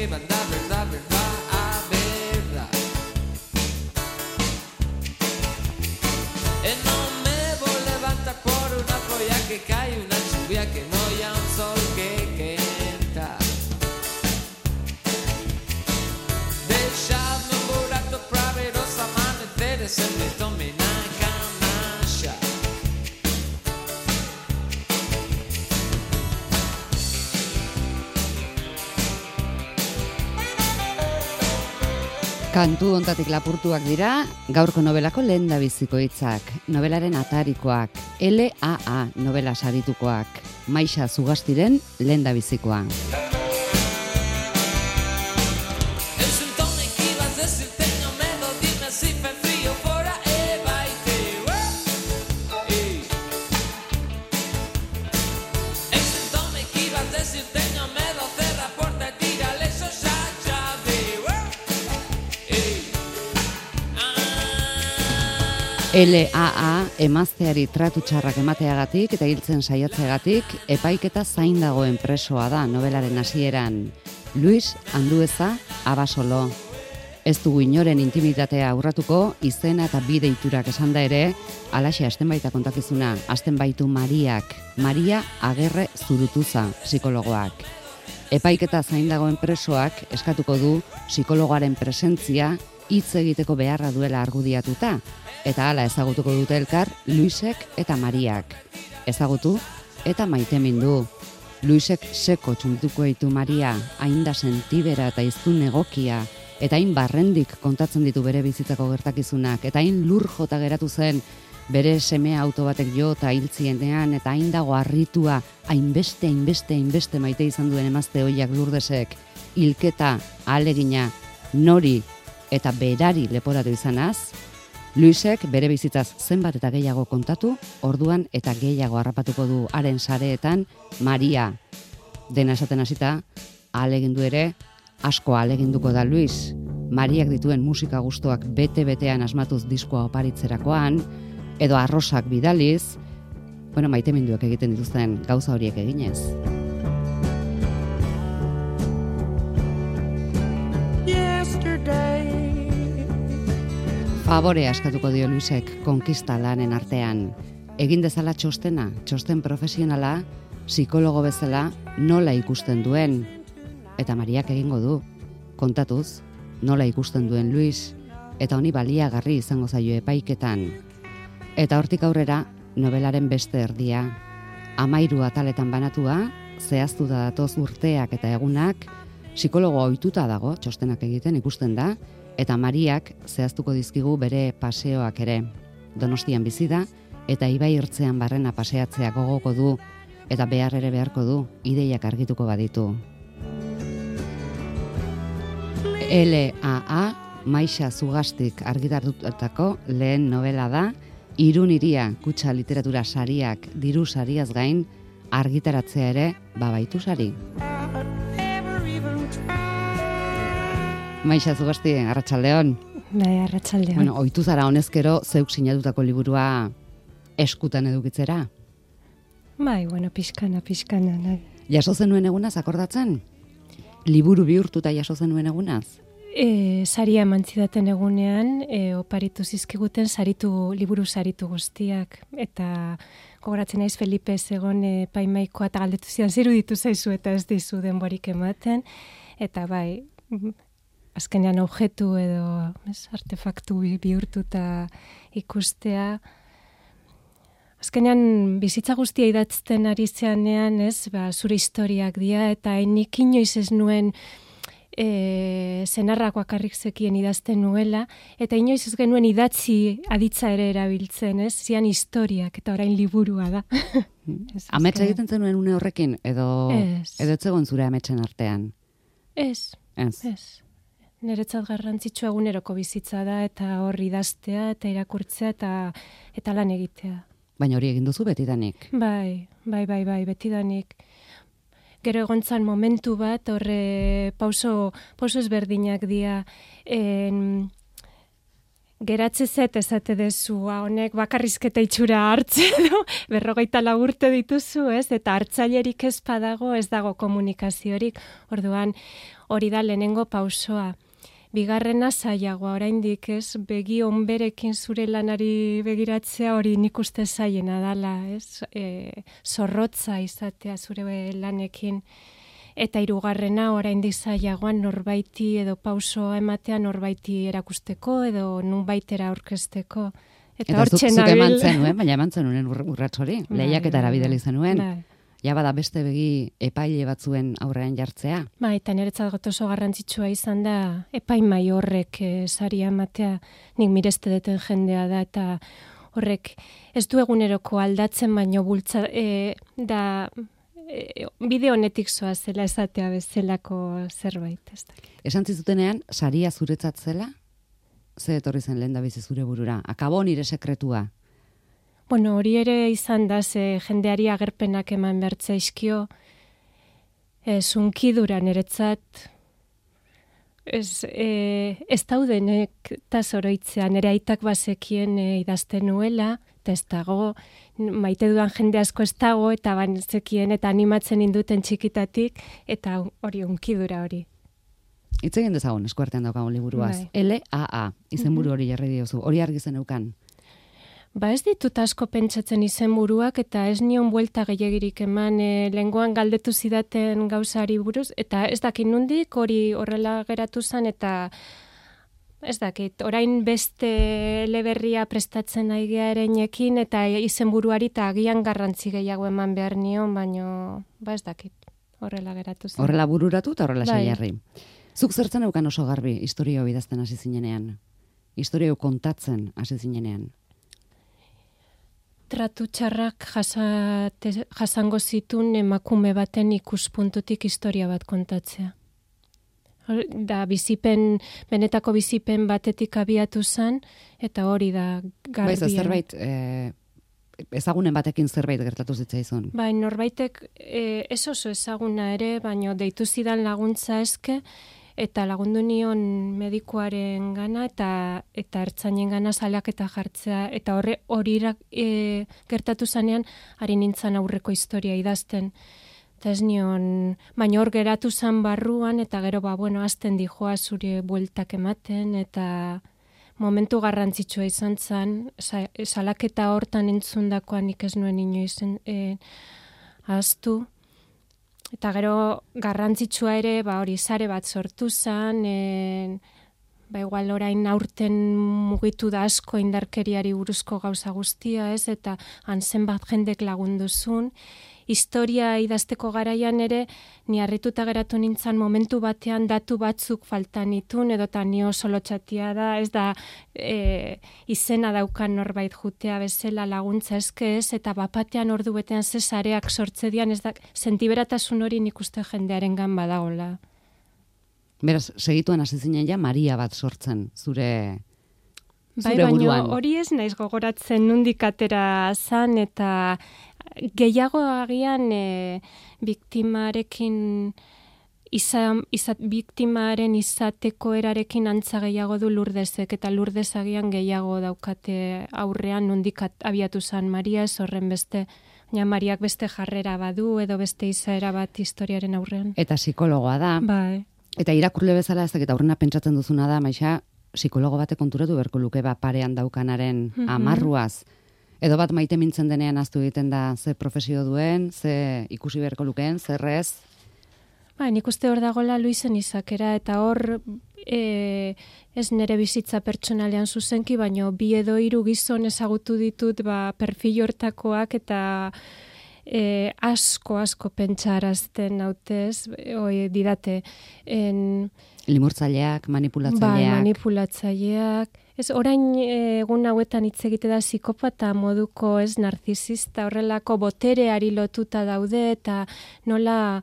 banda, verdad, verdad, verdad. No me voy a levantar por una polla que cae, una lluvia que no hay un sol que entra. Dejadme un burato para ver los amaneceres en mi domina canalla. Kantu hontatik lapurtuak dira, gaurko nobelako lehendabiziko hitzak, nobelaren atarikoak, LAA nobela saritukoak, Maixa Zugastiren lehendabizikoa. LAA emazteari tratu txarrak emateagatik eta hiltzen saiatzeagatik epaiketa zain dagoen presoa da nobelaren hasieran. Luis Andueza Abasolo. Ez dugu inoren intimitatea aurratuko, izena eta bi deiturak esan da ere, alaxe hasten baita kontakizuna, hasten baitu Mariak, Maria Agerre Zurutuza, psikologoak. Epaiketa zain dagoen presoak eskatuko du psikologoaren presentzia hitz egiteko beharra duela argudiatuta, eta hala ezagutuko dute elkar Luisek eta Mariak. Ezagutu eta maitemindu. Luisek seko txuntuko ditu Maria, hain da sentibera eta iztun egokia, eta hain barrendik kontatzen ditu bere bizitzako gertakizunak, eta hain lur jota geratu zen bere semea auto batek jo eta hiltzienean, eta hain dago harritua, hainbeste maite izan duen emazte hoiak Lurdesek, hilketa, ahalegina, nori eta berari leporatu izanaz, Luisek bere bizitzaz zenbat eta gehiago kontatu, orduan eta gehiago harrapatuko du haren sareetan Maria. Dena esaten hasita, ahalegindu ere, asko ahaleginduko da Luis. Mariak dituen musika gustoak bete-betean asmatuz diskoa oparitzerakoan, edo arrosak bidaliz, maiteminduak egiten dituzten gauza horiek eginez. Favore askatuko dio Luisek konkista lanen artean. Egin dezala txostena, txosten profesionala, psikologo bezala nola ikusten duen. Eta Mariak egingo du, kontatuz, nola ikusten duen Luis, eta honi baliagarri izango zaio epaiketan. Eta hortik aurrera, nobelaren beste erdia. 13 ataletan banatua, zehaztu da datoz urteak eta egunak, psikologo ohituta dago, txostenak egiten ikusten da, eta Mariak zehaztuko dizkigu bere paseoak ere. Donostian bizi da, eta ibai ertzean barrena paseatzea gogoko du, eta behar ere beharko du, ideiak argituko baditu. LAA, Maixa Zugastik argitartutako lehen novela da, Irun hiria kutxa literatura sariak diru sariaz gain, argitaratzea ere babaitu sari. Maixa Zugasti, arratsaldeon. Bai, arratsaldeon. Ohitu zara honezkero zeuk sinatutako liburua eskutan edukitzera? Bai, pixkana. Jaso zenuen egunaz akordatzen? Liburu bihurtuta jaso zenuen egunaz? Saria eman zidaten egunean, oparitu zizkiguten liburu saritu guztiak, eta gogoratzen naiz Felipe Zegon paimaikoa eta galdetu zidan ziruditu zaizu eta ez dizu denborik ematen, eta bai, azkenean objektu edo artefaktu bihurtuta ikustea. Azkenean bizitza guztia idatzten ari zeanean, zure historiak dira, eta nik inoiz ez nuen zenarrak bakarrik zekien idazten nuela, eta inoiz ez genuen idatzi aditza ere erabiltzen, zian historiak, eta orain liburua da. Ametsa egiten zenuen une horrekin, edo etzegon zure ametsen artean? Ez. Niretzat garrantzitsua eguneroko bizitza da, eta hor idaztea, eta irakurtzea, eta lan egitea. Baina hori egin duzu betidanik? Bai, betidanik. Gero egontzan momentu bat, horre pauso ezberdinak dira, geratzezet ezate dezu, honek bakarrizketa itxura hartzen, 44 urte dituzu, eta hartzailerik ez badago, ez dago komunikaziorik, orduan hori da lehenengo pausoa. Bigarrena zailagoa, oraindik ez, begi onberekin zure lanari begiratzea hori nik uste zailena dala, ez? Zorrotza izatea zure lanekin. Eta hirugarrena oraindik zailagoan norbaiti edo pausoa ematea norbaiti erakusteko edo nunbaitera aurkezteko. Eta zuk eman zenuen, baina eman zenuen urrats hori, lehiaketara bidali zenuen. Ja bada beste begi epaile batzuen aurrean jartzea. Eta niretzat oso garrantzitsua izan da epaimai horrek saria ematea, nik mireste deten jendea da, eta horrek ez du eguneroko aldatzen, baino bultza da bide honetik zoa zela esatea bezalako zerbait. Esan zizutenean, saria zuretzat zela? Ze etorri zen lehendabizi zure burura? Akabo nire sekretua? Bueno, hori ere izan da, ze jendeari agerpenak eman bertzaizkio, zunkidura niretzat, ez daudenek eta zoroitzea, nire aitak bazekien idazten nuela, eta ez dago, maite dudan jende asko ez dago, eta banezekien eta animatzen induten txikitatik, eta hori unkidura hori. Hitz egin dezagun eskuartean daukagun liburuaz. LAA, izenburu hori jarri diozu, hori argi zeneukan. Ez ditut asko pentsatzen izenburuak eta ez nion buelta gehiagirik eman lengoan galdetu zidaten gauzari buruz, eta ez dakit nondik hori horrela geratu zen, eta ez dakit, orain beste eleberria prestatzen aigea erenekin, eta izenburuari eta agian garrantzi gehiago eman behar nion, baino ez dakit, horrela geratu zen. Horrela bururatu eta horrela saiarri. Zuk zertzen eukan oso garbi historio bidazten hasi zinenean? Historio kontatzen hasi zinenean? Tratu txarrak jasango zitun emakume baten ikuspuntutik historia bat kontatzea. Da benetako bizipen batetik abiatu zen, eta hori da garbia. Zerbait, ezagunen batekin zerbait gertatu zitzaizun. Norbaitek ez oso ezaguna ere, baino deitu zidan laguntza eske, eta lagundu nion medikuaren gana eta ertzainen gana salaketa jartzea, eta hori gertatu zanean, ari nintzen aurreko historia idazten. Eta ez nion, baina hor geratu zan barruan, eta gero azten dijoa zure bueltak ematen, eta momentu garrantzitsua izan zen, salaketa hortan entzundakoan nik ez nuen inoiz ahaztu. Eta gero garrantzitsua ere, hori sare bat sortu zen, igual orain aurten mugitu da asko indarkeriari buruzko gauza guztia, ez? Eta hansen bat jendek lagunduzun. Historia idazteko garaian ere, ni harrituta geratu nintzen momentu batean datu batzuk faltan itun, edota ni oso lotxatia da, ez da izena daukan norbait jutea bezala laguntza eske ez, eta bapatean ordu betean zesareak sortze dian, ez da, sentiberatasun hori nik uste jendearen gan badagola. Beraz, segituen hasi zinen ja Maria bat sortzen, zure buruan. Baina hori ez naiz gogoratzen nondik atera zan, eta gehiago agian biktimarekin biktimaren izateko erarekin antza gehiago du Lurdesek, eta Lurdes agian gehiago daukate aurrean nondik abiatu zan Maria, ez horren beste, Mariak beste jarrera badu edo beste izaera bat historiaren aurrean. Eta psikologoa da. Bai. Eta irakurle bezala ez dakit aurrena pentsatzen duzuna da, Maixa, psikologo batek konturatu beharko luke parean daukanaren amarruaz. Edo bat maite mintzen denean aztu egiten da ze profesio duen, ze ikusi beharko lukeen, zerrez? Nik uste hor dagoela Luisen izakera, eta hor ez nire bizitza pertsonalean zuzenki, baino bi edo hiru gizon ezagutu ditut perfil hortakoak, eta asko pentsarazten nautez, didate. Limurtzaileak, manipulatzaileak. Manipulatzaileak. Ez, orain egun hauetan hitz egite da psikopata moduko, ez, narzisista, horrelako botereari lotuta daude, eta nola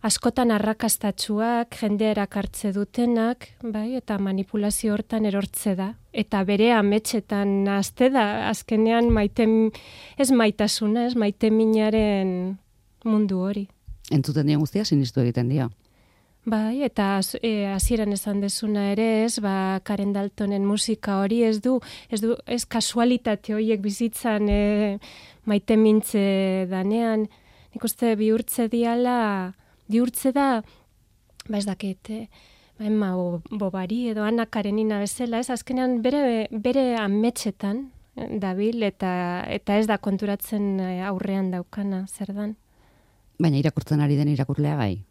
askotan arrakastatsuak, jende erakartze dutenak, eta manipulazio hortan erortze da. Eta bere ametxetan azte da, azkenean ez maitasuna, ez maite minaren mundu hori. Entzuten dion guztia, sinistu egiten dio. Eta hasieran esan dezuna ere, ez, Karen Daltonen musika hori ez kasualitate horiek bizitzan maite mintze danean. Nik uste bihurtze da ez dakit, Emma Bovary edo Anna Karenina bezala, ez azkenean bere ametsetan dabil eta ez da konturatzen aurrean daukana zer dan. Baina irakurtzen ari den irakurlea bai.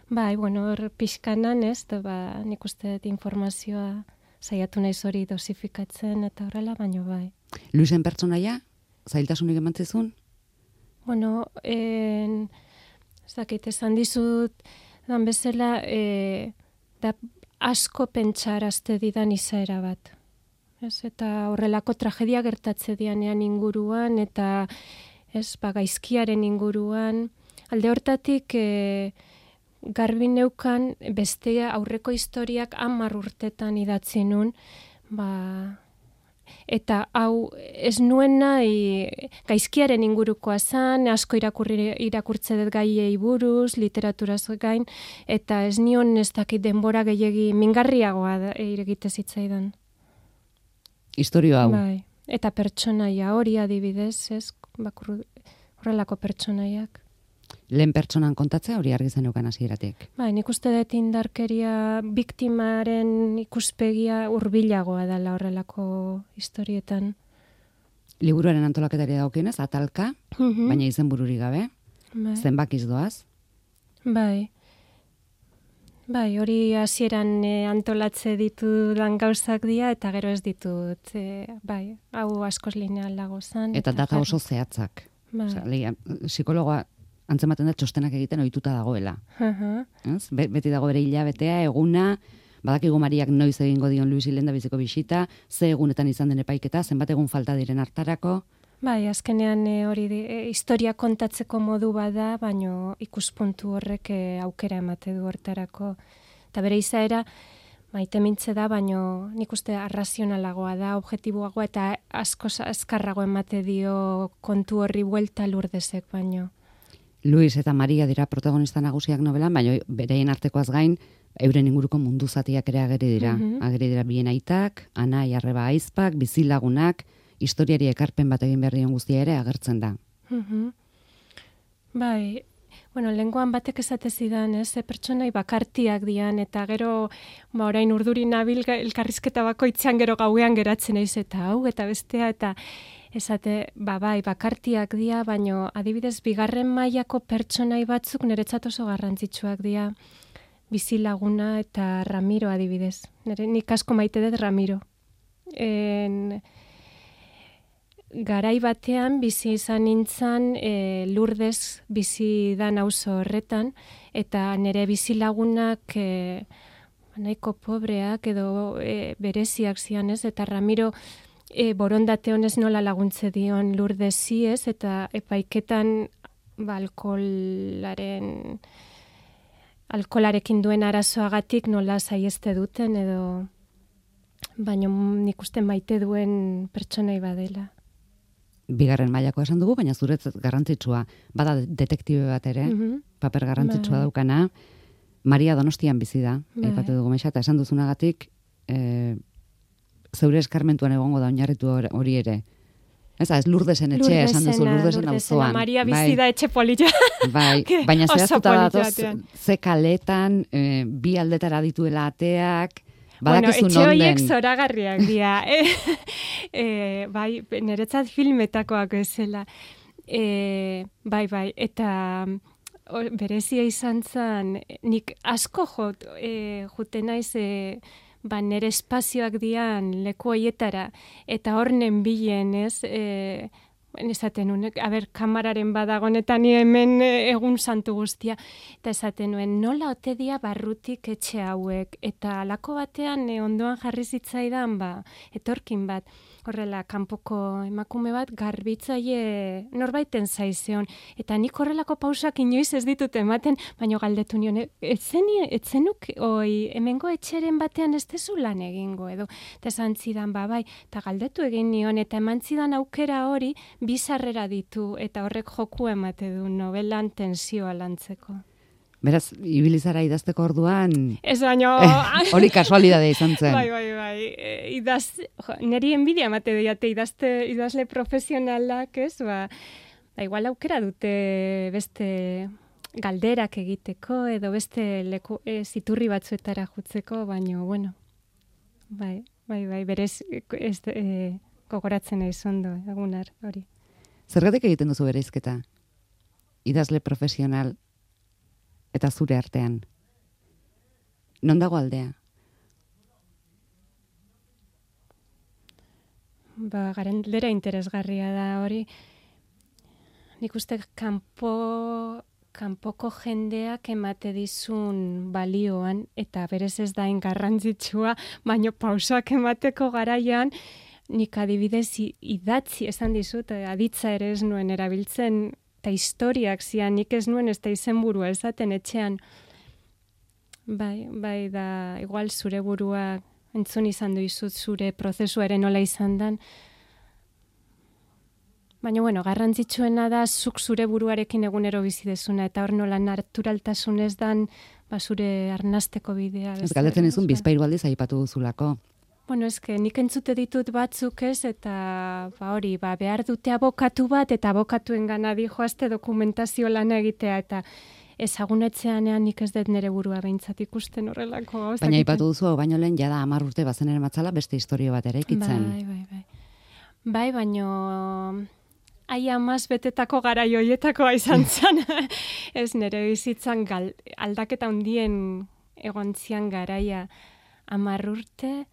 Bai, bueno, hor pixkanan, ez, nik uste dut informazioa saiatu naiz hori dosifikatzen eta horrela, baino bai. Luisen pertsonaia, zailtasunik emantzizun? Bueno, ez dakit, esan dizut, dan bezala, da asko pentsarazte didan izaera bat. Ez, eta horrelako tragedia gertatze dianean inguruan, eta ez, gaizkiaren inguruan. Alde hortatik, garbi neukan beste aurreko historiak 10 urtetan idatzi nun, eta hau ez nuen nahi gaizkiaren ingurukoa zan, asko irakurtze dut gaiei buruz, literaturaz gain, eta ez nion ez dakit denbora gehiegi mingarriagoa egite zitzaidan. Historio hau. Bai, eta pertsonaia hori adibidez, ez, horrelako pertsonaiak. Lehen pertsonan kontatzea hori argi zeneukan hasieratik. Bai, nik uste dut indarkeria biktimaren ikuspegia hurbilagoa dela horrelako historietan. Liburuaren antolaketari dagokienez, atalka, baina izenbururik gabe. Bai. Zenbakiz doaz. Bai, hori hasieran antolatze ditudan gauzak dira, eta gero ez ditut, bai, hau askoz linealago zan. Eta data oso zehatzak. Bai. Psikologoa antzematen da txostenak egiten ohituta dagoela. Beti dago bere hilabetea, eguna, badakigu Mariak noiz egingo dion Luis Hilenda biziko bisita, ze egunetan izan den epaiketa, zenbat egun falta diren hartarako. Bai, azkenean hori historia kontatzeko modu bada, baino ikuspuntu horrek aukera emate du hortarako. Eta bere izaera, maite mintze da, baino nik uste arrazionalagoa da, objektiboagoa eta asko azkarrago emate dio kontu horri buelta Lurdesek baino. Luis eta Maria dira protagonista nagusiak novelan, baina bereien artekoaz gain, euren inguruko mundu zatiak ere ageri dira. Ageri dira bien aitak, anai, arreba aizpak, bizilagunak, historiari ekarpen bat egin behar dion guztia ere agertzen da. Bai, bueno, lenguan batek esate zidan, pertsonai bakartiak dian, eta gero, orain urduri nabil elkarrizketa bakoitzean gero gauean geratzen naiz eta hau, eta bestea, eta esate, bai, bakartiak dira, baino adibidez, bigarren mailako pertsonai batzuk niretzat oso garrantzitsuak dira, bizilaguna eta Ramiro adibidez. Nik asko maite dut Ramiro. Garai batean bizi izan nintzen Lourdes bizi dan auzo horretan, eta nire bizilagunak nahiko pobreak edo bereziak zian ez, eta Ramiro borondate honez nola laguntze dion Lourdesi ez, eta epaiketan alkolarekin duen arazoagatik nola saieste duten edo baino nik uste maite duen pertsonai badela. Bigarren mailako esan dugu, baina zuretzat garrantzitsua, bada detektibe bat ere, paper garrantzitsua daukana, Maria Donostian bizi da, aipatu dugu Maixa, eta esan duzunagatik, zeure eskarmentuan egongo da oinarritu hori ere. Ez Lurdesen etxea, esan duzu, Lurdesen auzoan. Maria bizi da etxe polita. Bai, baina zehaztuta datoz, ze kaletan, bi aldetara dituela ateak, badakizu etxe horiek zoragarriak dira. Bai, niretzat filmetakoak bezala. Bai, eta berezia izan zen, nik asko juten naiz nire espazioak dian leku hoietara, eta hornen bilen, ez, esaten nuen, kamararen badagonetan hemen egun santu guztia, eta esaten nuen, nola ote dia barrutik etxe hauek, eta alako batean ondoan jarri zitzaidan, etorkin bat, horrela, kanpoko emakume bat, garbitzaile norbaiten zaizeon, eta nik horrelako pausak inoiz ez ditut ematen, baina galdetu nion, etzenuk, hemengo etxeren batean ez tezu lan egingo, edo, eta esan zidan, bai, eta galdetu egin nion, eta eman zidan aukera hori, bizarrera ditu, eta horrek joku emate du novelan tensioa lantzeko. Beraz, ibilizara idazteko orduan... Ez baino... Hori kasualidadea izan zen. Bai. Neri enbidia emate diate idazle profesionalak, ez? Igual aukera dute beste galderak egiteko edo beste ziturri batzuetara jutzeko, baino, bueno, bai, berez gogoratzen naiz ondo, egunar hori. Zergatik egiten duzu bereizketa? Idazle profesional eta zure artean. Non dago aldea? Galdera interesgarria da hori. Nik uste kanpoko jendeak emate dizun balioan, eta berez ez da garrantzitsua, baino pausak emateko garaian, nik adibidez idatzi esan dizut, aditza ere ez nuen erabiltzen, eta historiak zian, nik ez nuen ez da izenburua esaten etxean. Bai da, igual zure burua entzun izan duizut zure prozesuaren nola izan dan. Baina, bueno, garrantzitsuena da zuk zure buruarekin egunero bizi dezuna, eta hor nola naturaltasunez dan zure arnasteko bidea. Ez galdetzen izun bizpairu aldiz aipatu duzulako. Bueno, nik entzute ditut batzuk ez, eta hori, behar dute abokatu bat, eta abokatuen gana dijoazte dokumentazio lana egitea, eta ezagunetzeanean nik ez dut nire burua behintzat ikusten horrelako. Baina aipatu duzu, baino lehen jada 10 urte bazen ere matzala beste historio bat ere ikitzen. Bai, baino aia maz betetako garaioietakoa izan zen. Ez nire bizitzan aldaketa hundien egontzian garaia 10 urte,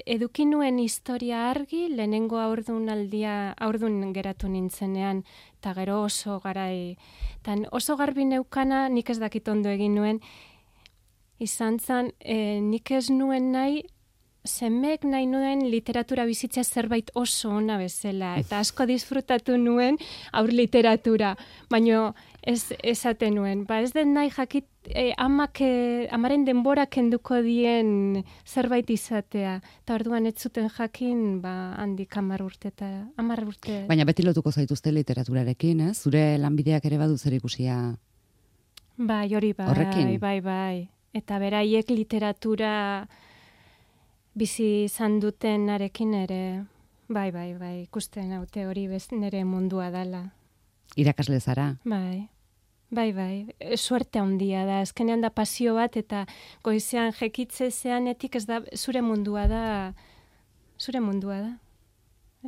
eduki nuen historia argi, lehenengo aurdun geratu nintzenean, eta gero oso garai. Tan oso garbi neukana, nik ez dakit ondo egin nuen, izan zen, nik ez nuen nahi, semeek nahi nuen literatura bizitzea zerbait oso ona bezala, eta asko disfrutatu nuen aur literatura, baino ez esaten nuen. Ez den nahi jakit amaren denbora kenduko dien zerbait izatea, eta orduan ez zuten jakin handik 10 urte. Baina beti lotuko zaituzte literaturarekin, ez? Zure lanbideak ere badu zer ikusia hori horrekin. Bai. Eta beraiek literatura bizi izan dutenarekin ere, bai, ikusten haute hori nire mundua dela. Irakasle zara? Bai, suerte handia da, azkenean da pasio bat, eta goizean jekitze zeanetik ez da, zure mundua da.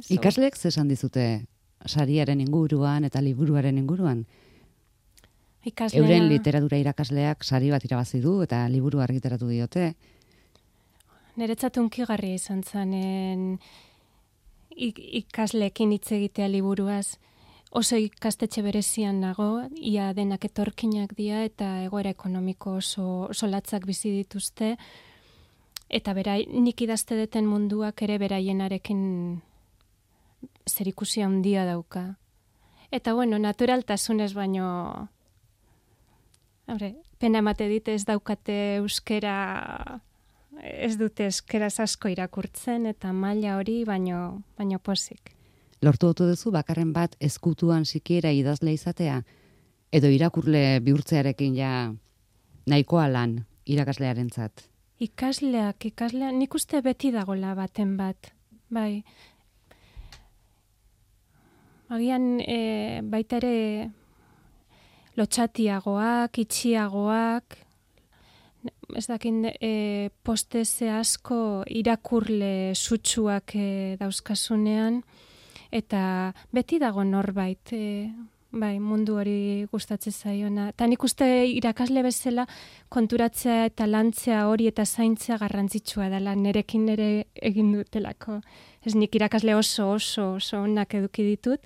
Ikasleek zesan dizute sariaren inguruan eta liburuaren inguruan? Euren literatura irakasleak sari bat irabazi du eta liburu argitaratu diote. Niretzat hunkigarria izan zanen ikasleekin hitz egitea liburuaz. Oso ikastetxe berezian nago, ia denak etorkinak dira eta egoera ekonomiko oso latzak bizi dituzte. Eta nik idazte deten munduak ere beraienarekin zerikusia handia dauka. Eta bueno, naturaltasunez baino, pena emate dit ez daukate euskera, ez dute euskeraz asko irakurtzen, eta maila hori baino pozik. Lortu duzu bakarren bat ezkutuan sikiera idazle izatea, edo irakurle bihurtzearekin ja nahikoa lan irakaslearentzat? Ikasleak, nik uste beti dagola baten bat, bai. Agian baita ere lotxatiagoak, itxiagoak, ez dakin posteze asko irakurle sutsuak dauzkasunean, eta beti dago norbait, bai, mundu hori gustatzen zaiona. Eta nik uste irakasle bezala konturatzea eta lantzea hori eta zaintzea garrantzitsua dela, nerekin ere egin dutelako. Ez nik irakasle oso onak eduki ditut,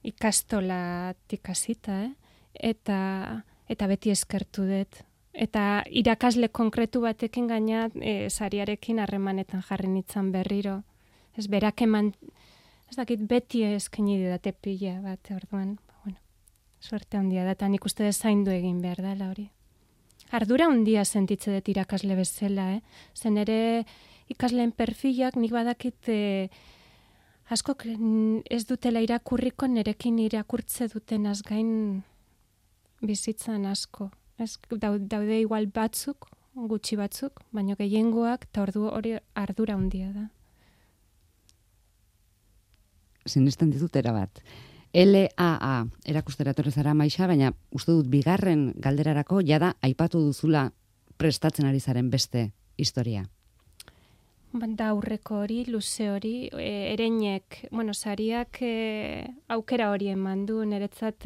ikastolatik hasita, eta beti eskertu dut. Eta irakasle konkretu batekin gaina sariarekin harremanetan jarri nintzen berriro. Ez berak eman, ez dakit beti eskaini didate pila bat, orduan, bueno, suerte handia da, eta nik uste zaindu egin behar dela hori. Ardura handia sentitze dut irakasle bezala, zen ere ikasleen perfilak nik badakit asko ez dutela irakurriko, nerekin irakurtze duten azgain bizitzan asko. Daude igual batzuk, gutxi batzuk, baina gehiengoak, eta ordu hori ardura handia da. Sinesten dizut erabat. LAA erakustera etorri zara Maixa, baina uste dut bigarren galderarako jada aipatu duzula prestatzen ari zaren beste historia. Da aurreko hori, luze hori, ereinek, sariak aukera hori eman du, niretzat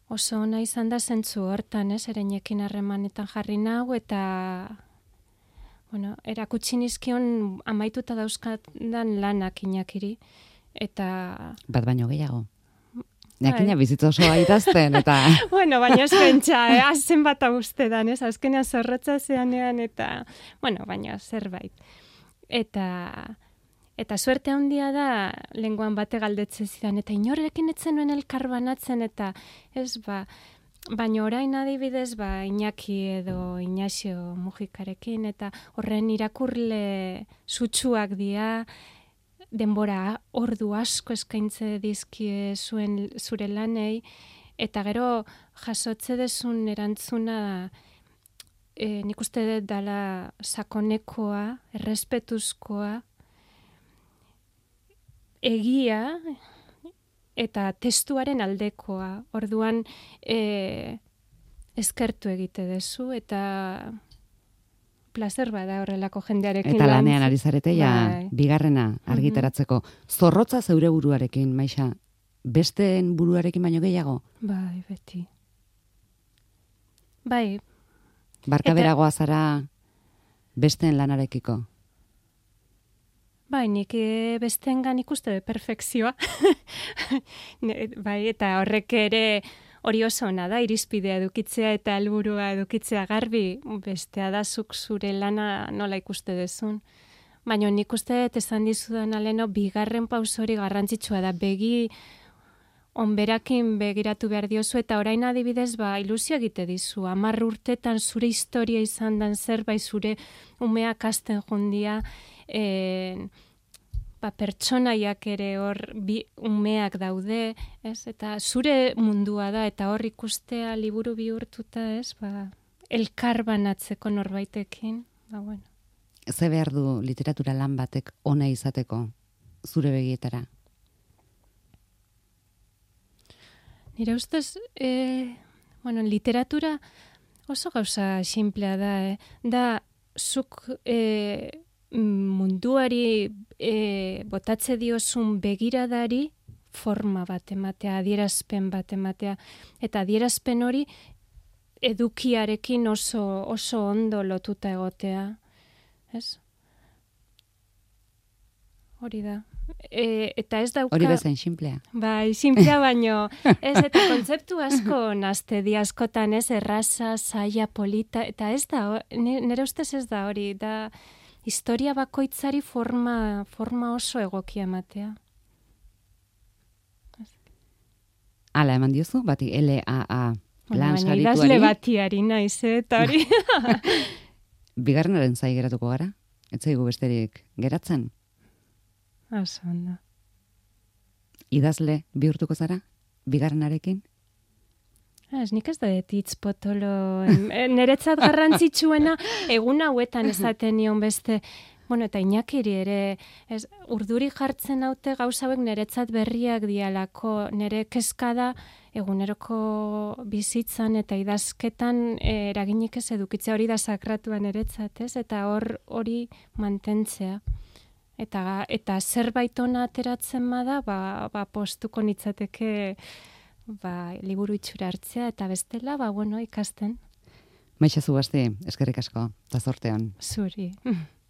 oso ona izan da zentzu hortan, ereinekin harremanetan jarri nahu, eta erakutsi nizkion amaituta dauzkatan lanak Iñakiri, eta... Bat baino gehiago. Jakina bizitza osoa idazten, eta... baina ez pentsa, azen bat uste dan, azkenean zorrotza zeanean, eta, baina zerbait. Eta suerte handia da, lenguan bate galdetze zidan, eta inorekin etzen nuen elkar banatzen, eta baina orain adibidez, Iñaki edo Ignacio Mujikarekin, eta horren irakurle sutsuak dira, denbora ordu asko eskaintze dizkie zure lanei, eta gero jasotze dezun erantzuna nik uste dut dala sakonekoa, errespetuzkoa, egia eta testuaren aldekoa. Orduan eskertu egite dezu, eta placer bada horrelako jendearekin. Eta lanean ari zarete, bigarrena argitaratzeko. Zorrotza zeure buruarekin, Maixa, besteen buruarekin baino gehiago? Bai, beti. Bai. Barkaberagoa zara besteen lanarekiko? Bai, nik besteengan ikuste perfekzioa. Bai, eta horrek ere... Hori oso ona da, irizpidea edukitzea eta helburua edukitzea garbi, bestea da zuk zure lana nola ikuste dezun. Baina nik uste dut esan dizudan aleno, bigarren pauso hori garrantzitsua da, begi onberakin begiratu behar diozu, eta orain adibidez ilusio egite dizu. 10 urtetan zure historia izan dan zerbait, zure umeak hasten jundia, pertsonaiak ere hor umeak daude, eta zure mundua da, eta hor ikustea liburu bihurtuta, elkar banatzeko norbaitekin, Ze behar du literatura lan batek ona izateko, zure begietara? Nire ustez, literatura oso gauza simplea da, da zuk munduari botatze diozun begiradari forma bat ematea, adierazpen bat ematea, eta adierazpen hori edukiarekin oso ondo lotuta egotea, ez? Hori da. Eta ez dauka... Hori bezain simplea. Bai, simplea baino. Ez, eta kontzeptu asko nazte di askotan, ez, erraza, zaila, polita, eta ez da, nire ustez ez da hori, da historia bakoitzari forma oso egokia ematea. Hala, eman diozu, bati LAA lan sarituari. Idazle batiari naiz, eta hori. Bigarrenaren zai geratuko gara? Ez zaigu besterik geratzen? Oso ondo. Idazle bihurtuko zara? Bigarrenarekin? Ez, nik ez da hitz potolo. Niretzat garrantzitsuena egun hauetan esaten nion beste, eta Iñakiri ere, urduri jartzen haute gauza hauek niretzat berriak dialako, nire kezka da eguneroko bizitzan eta idazketan eraginik ez edukitzea, hori da sakratua niretzat, ez? Eta hori mantentzea. Eta zerbait ona ateratzen bada, postuko nitzateke liburu itxura hartzea, eta bestela, ikasten. Maixa Zugasti, eskerrik asko, eta zortean. Zuri.